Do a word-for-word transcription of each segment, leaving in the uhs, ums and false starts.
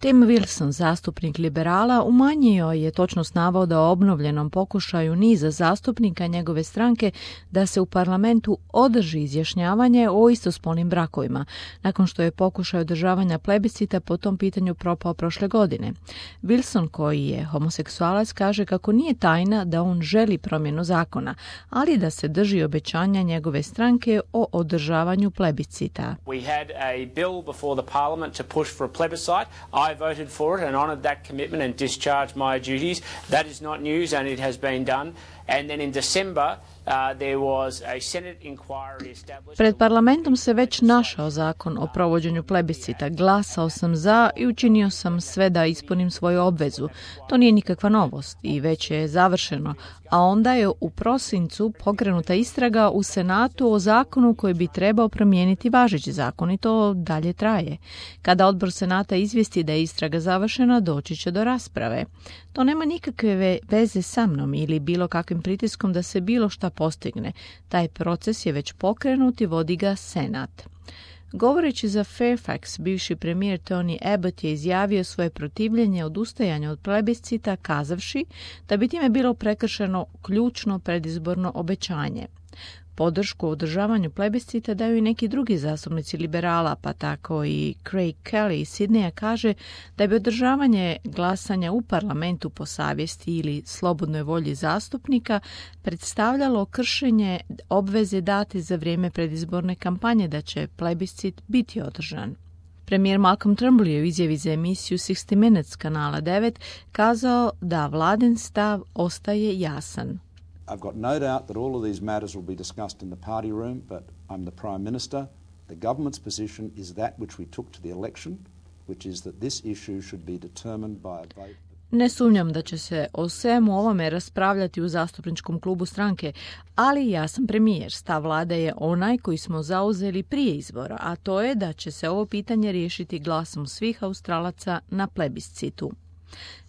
Tim Wilson, zastupnik liberala, umanjio je točnost navoda o obnovljenom pokušaju niza zastupnika njegove stranke da se u parlamentu održi izjašnjavanje o istospolnim brakovima, nakon što je pokušaj održavanja plebiscita po tom pitanju propao prošle godine. Wilson, koji je homoseksualac, kaže kako nije tajna da on želi promjenu zakona, ali da se drži obećanja njegove stranke o održavanju plebiscita. We had a bill before the parliament to push for a plebiscite. I voted for it and honoured that commitment and discharged my duties. That is not news and it has been done. And then in December Uh, there was a Senate inquiry established. Pred parlamentom se već našao zakon o provođenju plebiscita. Glasao sam za i učinio sam sve da ispunim svoju obvezu. To nije nikakva novost i već je završeno. A onda je u prosincu pokrenuta istraga u Senatu o zakonu koji bi trebao promijeniti važeći zakon i to dalje traje. Kada odbor Senata izvijesti da je istraga završena, doći će do rasprave. To nema nikakve veze sa mnom ili bilo kakvim pritiskom da se bilo šta postigne. Taj proces je već pokrenut i vodi ga Senat. Govoreći za Fairfax, bivši premijer Tony Abbott je izjavio svoje protivljenje odustajanju od plebiscita, kazavši da bi time bilo prekršeno ključno predizborno obećanje. Podršku u održavanju plebiscita daju i neki drugi zastupnici liberala, pa tako i Craig Kelly iz Sidneya kaže da bi održavanje glasanja u parlamentu po savjesti ili slobodnoj volji zastupnika predstavljalo kršenje obveze date za vrijeme predizborne kampanje da će plebiscit biti održan. Premijer Malcolm Turnbull je u izjavi za emisiju šezdeset Minutes kanala devet kazao da vladin stav ostaje jasan. I've got no doubt that all of these matters will be discussed in the party room, but I'm the Prime Minister. The government's position is that which we took to the election, which is that this issue should be determined by a vote. Ne sumnjam da će se o svemu ovome raspravljati u zastupničkom klubu stranke, ali ja sam premijer. Stav vlade je onaj koji smo zauzeli prije izbora, a to je da će se ovo pitanje riješiti glasom svih Australaca na plebiscitu.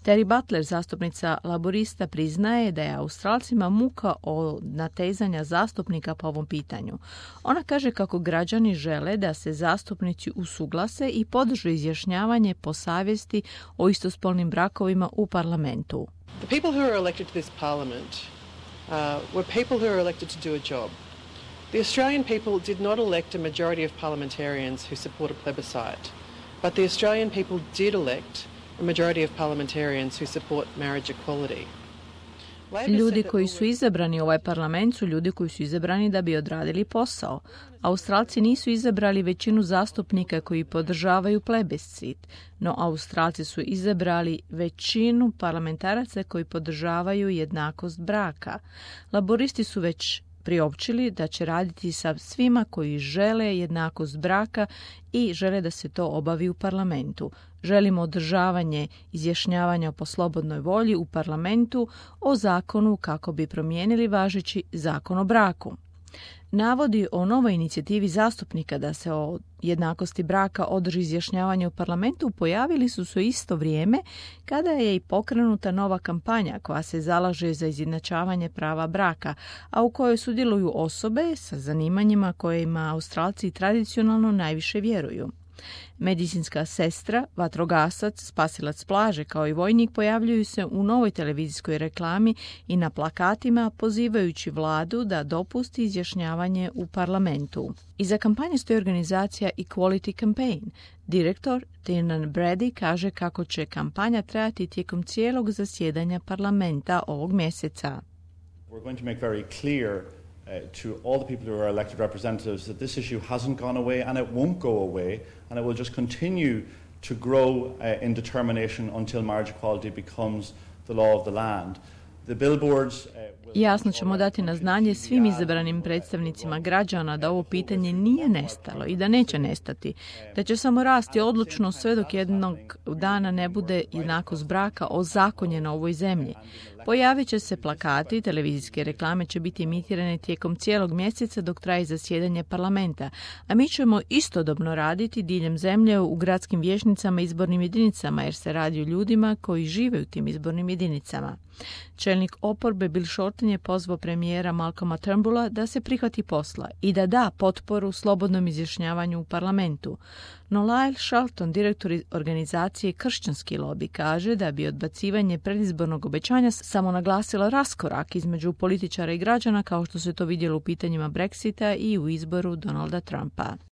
Terry Butler, zastupnica laborista, priznaje da je Australcima muka od natezanja zastupnika po ovom pitanju. Ona kaže kako građani žele da se zastupnici usuglase i podrže izjašnjavanje po savjesti o istospolnim brakovima u parlamentu. The people who are elected to this parliament uh, were people who are elected to do a job. The Australian people did not elect a majority of parliamentarians who support a plebiscite, but the Australian people did elect a majority of parliamentarians who support marriage equality. Ljudi koji su izabrani u ovaj parlament su ljudi koji su izabrani da bi odradili posao. Australci nisu izabrali većinu zastupnika koji podržavaju plebiscit, no Australci su izabrali većinu parlamentaraca koji podržavaju jednakost braka. Laboristi su već priopćili da će raditi sa svima koji žele jednakost braka i žele da se to obavi u parlamentu. Želimo održavanje izjašnjavanja po slobodnoj volji u parlamentu o zakonu kako bi promijenili važeći zakon o braku. Navodi o novoj inicijativi zastupnika da se o jednakosti braka održi izjašnjavanje u parlamentu pojavili su se u isto vrijeme kada je i pokrenuta nova kampanja koja se zalaže za izjednačavanje prava braka, a u kojoj sudjeluju osobe sa zanimanjima kojima Australci tradicionalno najviše vjeruju. Medicinska sestra, vatrogasac, spasilac plaže kao i vojnik pojavljuju se u novoj televizijskoj reklami i na plakatima pozivajući vladu da dopusti izjašnjavanje u parlamentu. Iza kampanje stoji organizacija Equality Campaign. Direktor Tiernan Brady kaže kako će kampanja trajati tijekom cijelog zasjedanja parlamenta ovog mjeseca. We're going to make very clear Uh, to all the people who are elected representatives that this issue hasn't gone away and it won't go away and it will just continue to grow uh, in determination until marriage equality becomes the law of the land. The billboards, uh, Jasno ćemo dati na znanje svim izabranim predstavnicima građana da ovo pitanje nije nestalo i da neće nestati, da će samo rasti odlučno sve dok jednog dana ne bude jednakost braka ozakonjena u ovoj zemlji. Pojavit će se plakati, televizijske reklame će biti emitirane tijekom cijelog mjeseca dok traje zasjedanje parlamenta, a mi ćemo istodobno raditi diljem zemlje u gradskim vijećnicama i izbornim jedinicama jer se radi o ljudima koji žive u tim izbornim jedinicama. Čelnik oporbe Bill Shorten je pozvao premijera Malcolma Turnbulla da se prihvati posla i da da potporu slobodnom izjašnjavanju u parlamentu. No Lyle Shelton, direktor organizacije Kršćanski lobby, kaže da bi odbacivanje predizbornog obećanja samo naglasilo raskorak između političara i građana kao što se to vidjelo u pitanjima Brexita i u izboru Donalda Trumpa.